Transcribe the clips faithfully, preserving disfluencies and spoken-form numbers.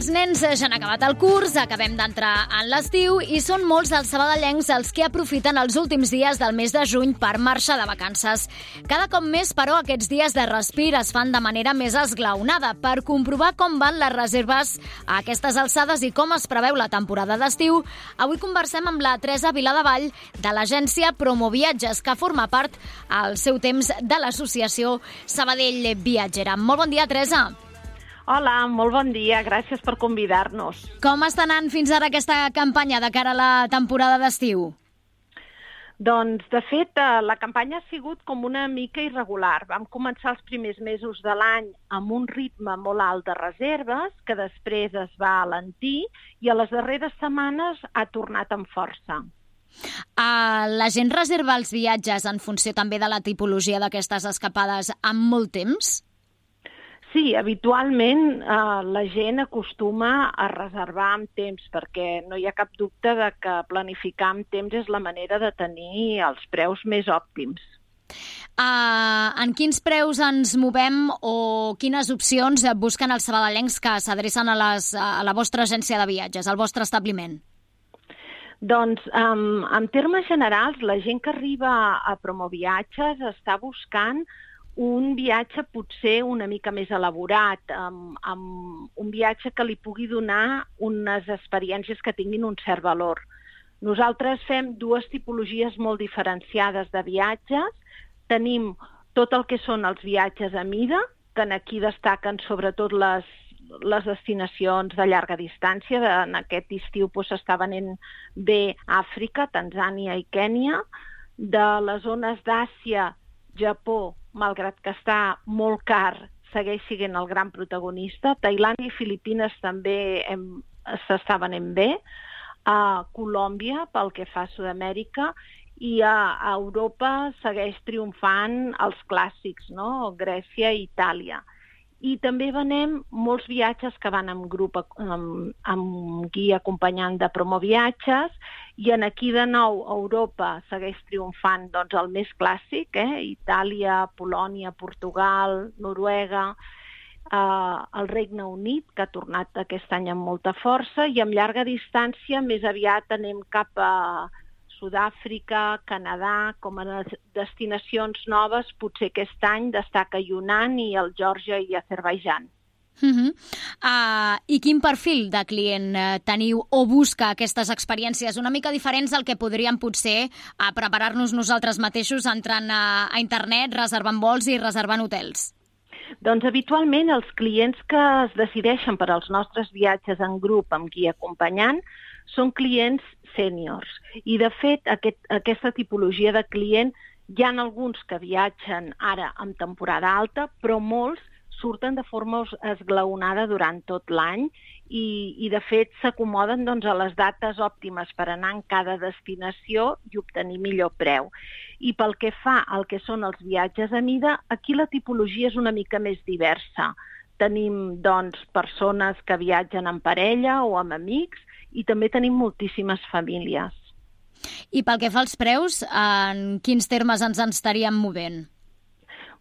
Els nens ja han acabat el curs, acabem d'entrar en l'estiu i són molts dels sabadellencs els que aprofiten els últims dies del mes de juny per marxar de vacances. Cada cop més, però, aquests dies de respir es fan de manera més esglaonada. Per comprovar com van les reserves a aquestes alçades i com es preveu la temporada d'estiu, avui conversem amb la Teresa Viladevall de l'agència Promoviatges, que forma part al seu temps de l'associació Sabadell Viatgera. Molt bon dia, Teresa. Hola, molt bon dia. Gràcies per convidar-nos. Com està anant fins ara aquesta campanya de cara a la temporada d'estiu? Doncs, de fet, la campanya ha sigut com una mica irregular. Vam començar els primers mesos de l'any amb un ritme molt alt de reserves, que després es va alentir i a les darreres setmanes ha tornat amb força. Uh, la gent reserva els viatges en funció també de la tipologia d'aquestes escapades amb molt temps? Sí, habitualment eh, la gent acostuma a reservar amb temps perquè no hi ha cap dubte de que planificar amb temps és la manera de tenir els preus més òptims. Uh, en quins preus ens movem o quines opcions busquen els sabadellencs que s'adrecen a, les, a la vostra agència de viatges, al vostre establiment? Doncs, um, en termes generals, la gent que arriba a Promoviatges està buscant un viatge potser una mica més elaborat, amb, amb un viatge que li pugui donar unes experiències que tinguin un cert valor. Nosaltres fem dues tipologies molt diferenciades de viatges. Tenim tot el que són els viatges a mida, que aquí destaquen sobretot les, les destinacions de llarga distància. En aquest estiu s'està venent bé Àfrica, Tanzània i Kènia. De les zones d'Àsia, Japó, malgrat que està molt car, segueix sent el gran protagonista. Tailàndia i Filipines també s'està venent bé. A Colòmbia, pel que fa a Sud-amèrica, i a, a Europa segueix triomfant els clàssics, no? Grècia i Itàlia. I també venem molts viatges que van amb grup, amb, amb guia acompanyant de Promoviatges, i en aquí de nou Europa segueix triomfant doncs, el més clàssic, eh? Itàlia, Polònia, Portugal, Noruega, eh, el Regne Unit, que ha tornat aquest any amb molta força, i amb llarga distància més aviat anem cap a Sud-àfrica, Canadà, com a destinacions noves. Potser aquest any destaca Yunnan i el Geòrgia i Azerbaidjan. Uh -huh. uh, I quin perfil de client uh, teniu o busca aquestes experiències una mica diferents del que podríem potser uh, preparar-nos nosaltres mateixos entrant a, a internet, reservant vols i reservant hotels? Doncs habitualment els clients que es decideixen per als nostres viatges en grup amb guia acompanyant són clients sèniors. I de fet aquest, aquesta tipologia de client hi ha alguns que viatgen ara en temporada alta, però molts surten de forma esglaonada durant tot l'any i, i de fet s'acomoden doncs, a les dates òptimes per anar en cada destinació i obtenir millor preu. I pel que fa al que són els viatges a mida, aquí la tipologia és una mica més diversa. Tenim doncs, persones que viatgen en parella o amb amics i també tenim moltíssimes famílies. I pel que fa als preus, en quins termes ens en estaríem movent?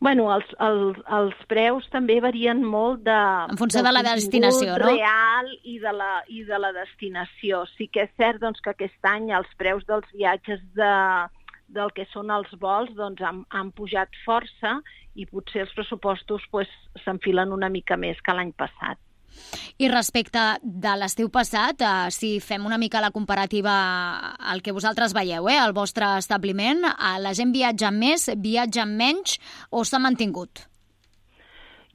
Bueno, els, els, els preus també varien molt de... En funció de la destinació, no? Real i de la, i de la destinació. Sí que és cert doncs, que aquest any els preus dels viatges de, del que són els vols doncs, han, han pujat força i potser els pressupostos pues, s'enfilen una mica més que l'any passat. I respecte de l'estiu passat, eh, si fem una mica la comparativa al que vosaltres veieu, eh, al vostre establiment, eh, la gent viatja més, viatja menys o s'ha mantingut?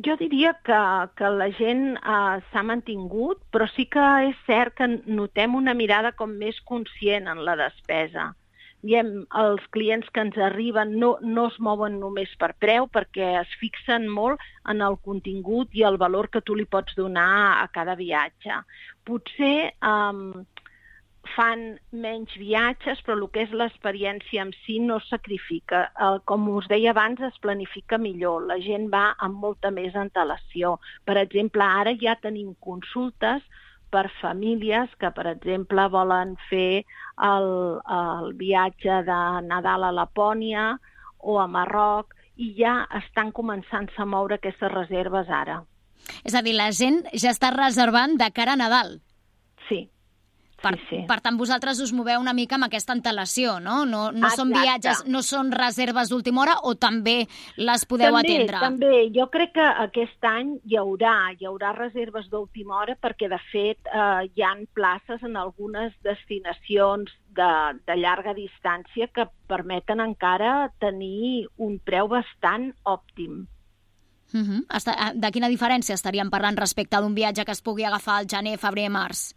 Jo diria que, que la gent eh, s'ha mantingut, però sí que és cert que notem una mirada com més conscient en la despesa. Diem, els clients que ens arriben no, no es mouen només per preu perquè es fixen molt en el contingut i el valor que tu li pots donar a cada viatge. Potser um, fan menys viatges, però el que és l'experiència en si no es sacrifica. Uh, com us deia abans, es planifica millor. La gent va amb molta més antelació. Per exemple, ara ja tenim consultes per famílies que, per exemple, volen fer el, el viatge de Nadal a Lapònia o a Marroc i ja estan començant a moure aquestes reserves ara. És a dir, la gent ja està reservant de cara a Nadal. Sí. Per, sí, sí. per tant, vosaltres us moveu una mica amb aquesta antelació, no? No, no són viatges, no són reserves d'última hora, o també les podeu també, atendre? També, jo crec que aquest any hi haurà, hi haurà reserves d'última hora perquè, de fet, eh, hi ha places en algunes destinacions de, de llarga distància que permeten encara tenir un preu bastant òptim. Uh-huh. De quina diferència estaríem parlant respecte d'un viatge que es pugui agafar al gener, febrer, març?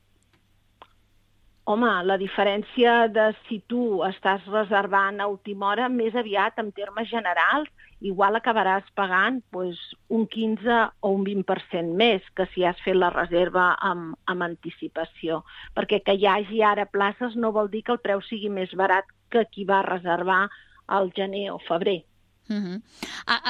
Home, la diferència de si tu estàs reservant a última hora, més aviat, en termes generals, igual acabaràs pagant pues, un quinze o un vint per cent més que si has fet la reserva amb, amb anticipació. Perquè que hi hagi ara places no vol dir que el preu sigui més barat que qui va reservar al gener o febrer. Uh-huh.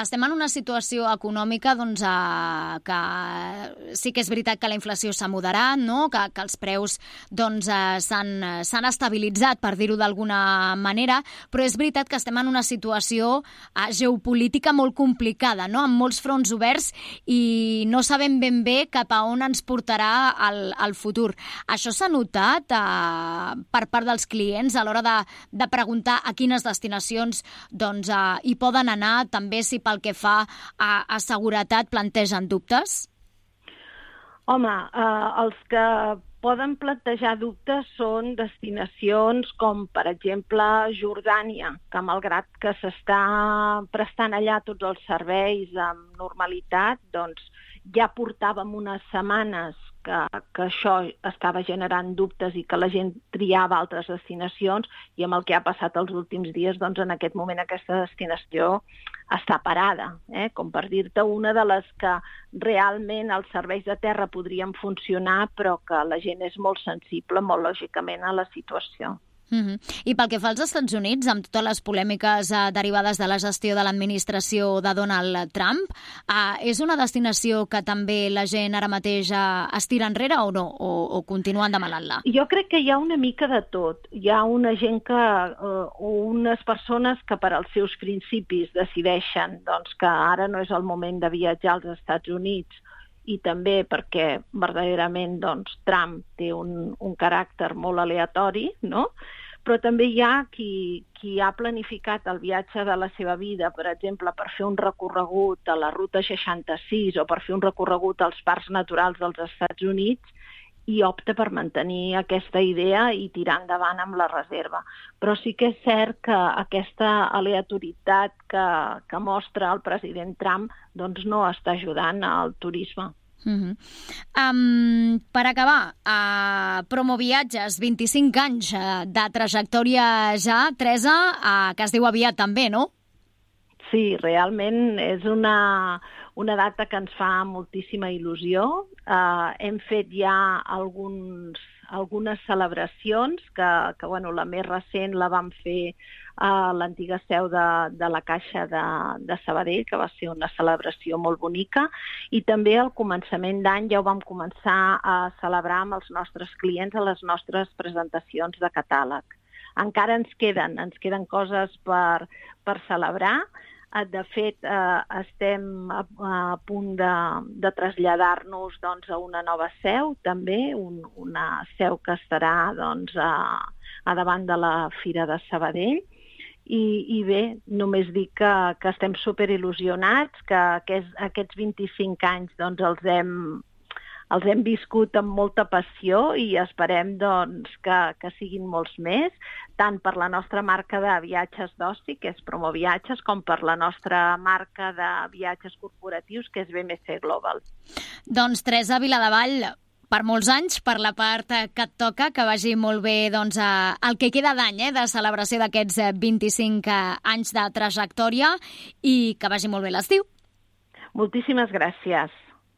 Estem en una situació econòmica doncs, uh, que sí que és veritat que la inflació s'ha moderat, no? que, que els preus doncs, uh, s'han estabilitzat, per dir-ho d'alguna manera, però és veritat que estem en una situació uh, geopolítica molt complicada, no? Amb molts fronts oberts i no sabem ben bé cap a on ens portarà el, el futur. Això s'ha notat uh, per part dels clients a l'hora de, de preguntar a quines destinacions doncs, uh, hi poden anar, també si pel que fa a, a seguretat plantegen dubtes? Home, eh, els que poden plantejar dubtes són destinacions com, per exemple, Jordània, que malgrat que s'està prestant allà tots els serveis amb normalitat, doncs ja portàvem unes setmanes que, que això estava generant dubtes i que la gent triava altres destinacions, i amb el que ha passat els últims dies, doncs en aquest moment aquesta destinació està parada, eh? Com per dir-te, una de les que realment els serveis de terra podrien funcionar, però que la gent és molt sensible, molt lògicament, a la situació. Uh-huh. I pel que fa als Estats Units, amb totes les polèmiques eh, derivades de la gestió de l'administració de Donald Trump, eh, és una destinació que també la gent ara mateix eh, es tira enrere o no? O, o continuen demanant-la? Jo crec que hi ha una mica de tot. Hi ha una gent que, eh, o unes persones que per als seus principis decideixen doncs, que ara no és el moment de viatjar als Estats Units, i també perquè verdaderament doncs, Trump té un, un caràcter molt aleatori, no? Però també hi ha qui, qui ha planificat el viatge de la seva vida, per exemple, per fer un recorregut a la Ruta seixanta-sis o per fer un recorregut als parcs naturals dels Estats Units, i opta per mantenir aquesta idea i tirar endavant amb la reserva. Però sí que és cert que aquesta aleatoritat que, que mostra el president Trump doncs no està ajudant al turisme. Uh-huh. Um, per acabar, uh, Promoviatges, vint-i-cinc anys uh, de trajectòria ja, Teresa, uh, que es diu aviat també, no? Sí, realment és una, una data que ens fa moltíssima il·lusió. Uh, hem fet ja alguns, algunes celebracions, que, que bueno, la més recent la vam fer a l'antiga seu de, de la Caixa de, de Sabadell, que va ser una celebració molt bonica, i també al començament d'any ja ho vam començar a celebrar amb els nostres clients a les nostres presentacions de catàleg. Encara ens queden, ens queden coses per, per celebrar. De fet, eh, estem a, a punt de, de traslladar-nos doncs, a una nova seu, també, un, una seu que estarà doncs, a, a davant de la Fira de Sabadell. I, i bé, només dic que, que estem superil·lusionats, que aquests, aquests vint-i-cinc anys doncs, els, hem, els hem viscut amb molta passió i esperem doncs, que, que siguin molts més, tant per la nostra marca de viatges d'oci, que és Promoviatges, com per la nostra marca de viatges corporatius, que és B M C Global. Doncs Teresa Viladevall, per molts anys, per la part que et toca, que vagi molt bé doncs, el que queda d'any eh, de celebració d'aquests vint-i-cinc anys de trajectòria i que vagi molt bé l'estiu. Moltíssimes gràcies.